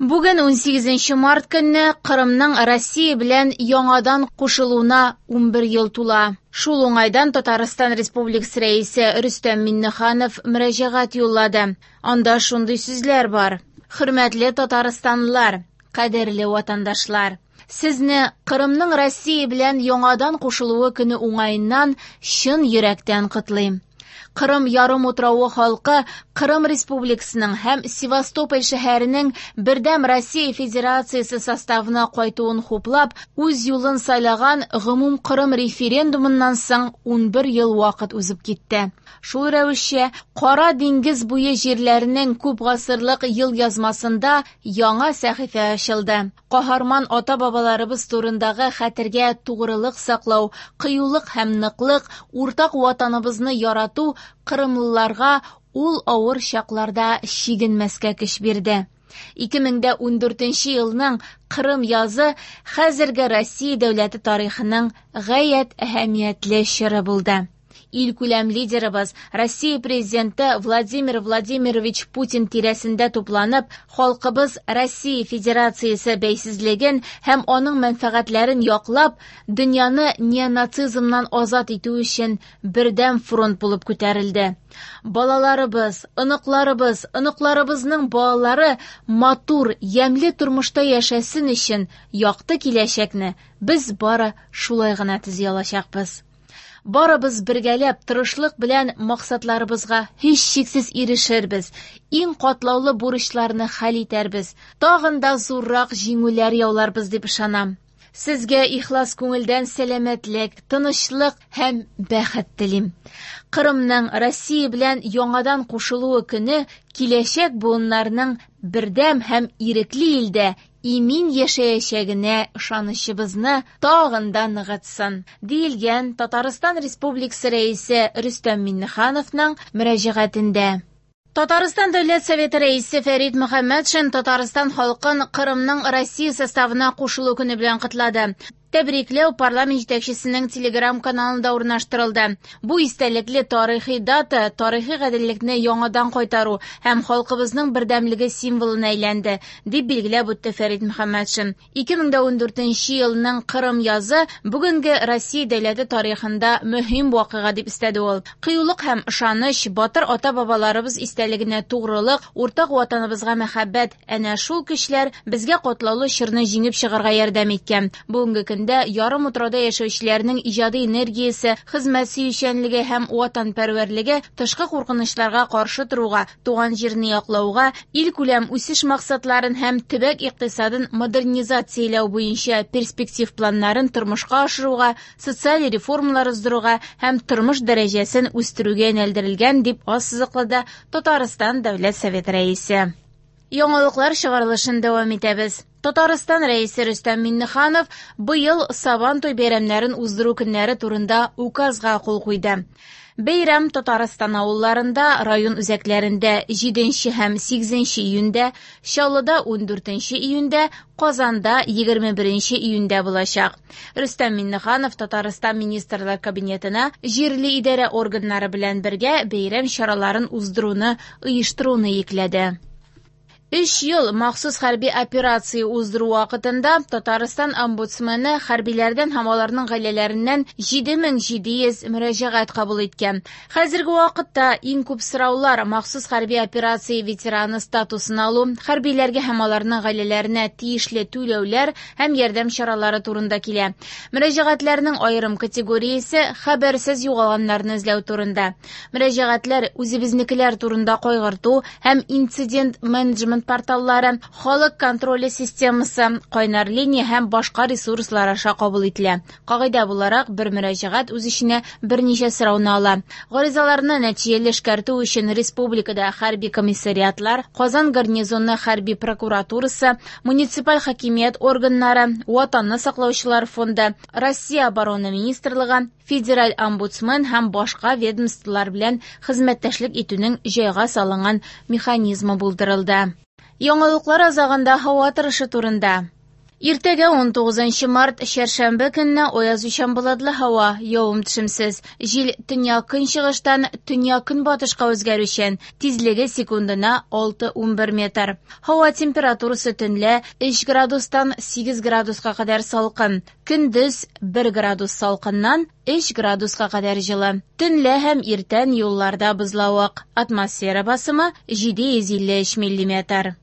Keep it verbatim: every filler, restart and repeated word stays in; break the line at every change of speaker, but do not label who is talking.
Бүген унсигезенче март көнне Кырымның Россия белән яңадан кушылуына унбер ел тула. Шул уңайдан Татарстан Республикасы Рәисе Рөстәм Миңнеханов мөрәҗәгать юллады. Анда шундый сүзләр бар: Хөрмәтле татарстанлылар, кадерле ватандашлар! Сезне Кырымның Россия белән яңадан кушылуы көне уңаеннан чын йөрәктән котлыйм. Кырым ярымутравы халкы Кырым Республикасының һәм Севастополь шәһәренең Бердәм Россия Федерациясе составына кайтуын хуплап, үз юлын сайлаган гомумкырым референдумыннан соң унбер ел вакыт узып китте. Шул рәвешчә, Кара диңгез буе җирләренең күп гасырлык ел язмасында яңа сәхифә ачылды. Каһарман ата-бабаларыбыз турындагы хәтергә тугрылык саклау, кыюлык һәм ныклык, уртак ватаныбызны ярату кырымлыларга ул авыр чакларда чигенмәскә көч бирде. Ике мең дә ундүртенче елның Кырым язы хәзерге Россия дәүләте тарихының гаять әһәмиятле чоры булды. Илкүләм лидерыбыз Россия президенты Владимир Владимирович Путин тирәсендә тупланып, халкыбыз Россия Федерациясе бәйсезлеген һәм аның мәнфәгатьләрен яклап, дөньяны неонацизмнан азат итү өчен бердәм фронт булып күтәрелде. Балаларыбыз, оныкларыбыз, оныкларыбызның балалары матур, ямьле тормышта яшәсен өчен якты киләчәкне без бары шулай гына төзи алачакбыз. Барыбыз бергәләп тырышлык белән максатларыбызга һичшиксез ирешербез, иң катлаулы бурычларны хәл итәрбез, тагын да зуррак җиңүләр яуларбыз дип ышанам. Сезгә ихлас күңелдән сәламәтлек, тынычлык һәм бәхет телим. Кырымның Россия белән яңадан кушылуы көне киләчәк буыннарның бердәм һәм ирекле илдә имин яшәячәгенә ышанычыбызны тагын да ныгытсын, диелгән Татарстан Республикасы Рәисе Рөстәм Миңнехановның мөрәҗәгатендә. Татарстан Дәүләт Советы Рәисе Фәрит Мөхәммәтшин Татарстан халкын Кырымның Россия составына кушылу көне белән котлады. Тәбрикләү парламент җитәкчесенең телеграм-каналында урнаштырылды. Бу истәлекле тарихи дата тарихи гаделлекне яңадан кайтару һәм халкыбызның бердәмлеге символына әйләнде, дип билгеләп үтте Фәрит Мөхәммәтшин. Ике мең дә ундүртенче елның Кырым язы бүгенге Россия дәүләте тарихында мөһим вакыйга дип өстәде ул. Кыюлык һәм ышаныч, батыр ата-бабаларыбыз истәлегенә тугрылык, уртак ватаныбызга мәхәббәт, әнә шул көчләр безгә катлаулы чорны җиңеп чыгарга ярдәм иткән. Бүгенге көндә ярым утрауда яшәүчеләрнең иҗади энергиясе, хезмәт сөючәнлеге һәм ватанпәрвәрлеге тышкы куркынычларга каршы торуга, туган җирне яклауга, илкүләм үсеш максатларын һәм төбәк икътисадын модернизацияләү буенча перспектив планнарын тормышка ашыруга, социаль реформалар уздыруга һәм тормыш дәрәҗәсен үстерүгә юнәлдерелгән, дип ассызыклады Татарстан Дәүләт Советы Рәисе. Яңалыклар чыгарылышын дәвам итәбез. Татарстан Рәисе Рөстәм Миңнеханов быел Сабантуй бәйрәмнәрен уздыру көннәре турында указга кул куйды. Бәйрәм Татарстан авылларында, район үзәкләрендә җиденче һәм сигезенче июньдә, Чаллыда ундүртенче июньдә, Казанда егерме беренче июньдә булачак. Рөстәм Миңнеханов Татарстан Министрлар Кабинетына җирле идарә органнары белән бергә бәйрәм чараларын уздыруны оештыруны йөкләде. Өч ел махсус хәрби операция уздыру вакытында Татарстан омбудсмены хәрбиләрдән һәм аларның гаиләләреннән җиде мең җиде йөз мөрәҗәгать кабул иткән. Хәзерге вакытта иң күп сораулар махсус хәрби операция ветераны статусын алу, хәрбиләргә һәм аларның гаиләләренә тиешле түләүләр һәм ярдәм чаралары турында килә. Мөрәҗәгатьләрнең аерым категориясе хәбәрсез югалганнарны эзләү турында. Мөрәҗәгатьләр үзебезнекеләр турында кайгырту һәм инцидент менеджмент порталлары, халык контроле системасы, кайнар линия һәм башка ресурслар аша кабул ителә. Кагыйдә буларак, бер мөрәҗәгать үз эченә берничә сорауны ала. Гаризаларны нәтиҗәле эшкәртү өчен республикада хәрби комиссариатлар, Казан гарнизоны хәрби прокуратурасы, муниципаль хакимият органнары, Ватанны саклаучылар фонды, Россия оборона министрлыгы, федераль омбудсмен һәм башка ведомстволар белән хезмәттәшлек итүнең җайга салынган механизмы булдырылды. Яңалыклар азагында һава торышы турында. Иртәгә унтугызынчы март, чәршәмбе көнне аязучан болытлы һава, явым-төшемсез. Җил төньяк-көнчыгыштан төньяк-көнбатышка үзгәрүчән, тизлеге секундына алты-унбер метр. Һава температурасы төнлә өч градустан сигез градуска кадәр салкын, көндез бер градус салкыннан өч градуска кадәр җылы. Төнлә һәм иртән юлларда бозлавык. Атмосфера басымы җиде йөз илле өч миллиметр.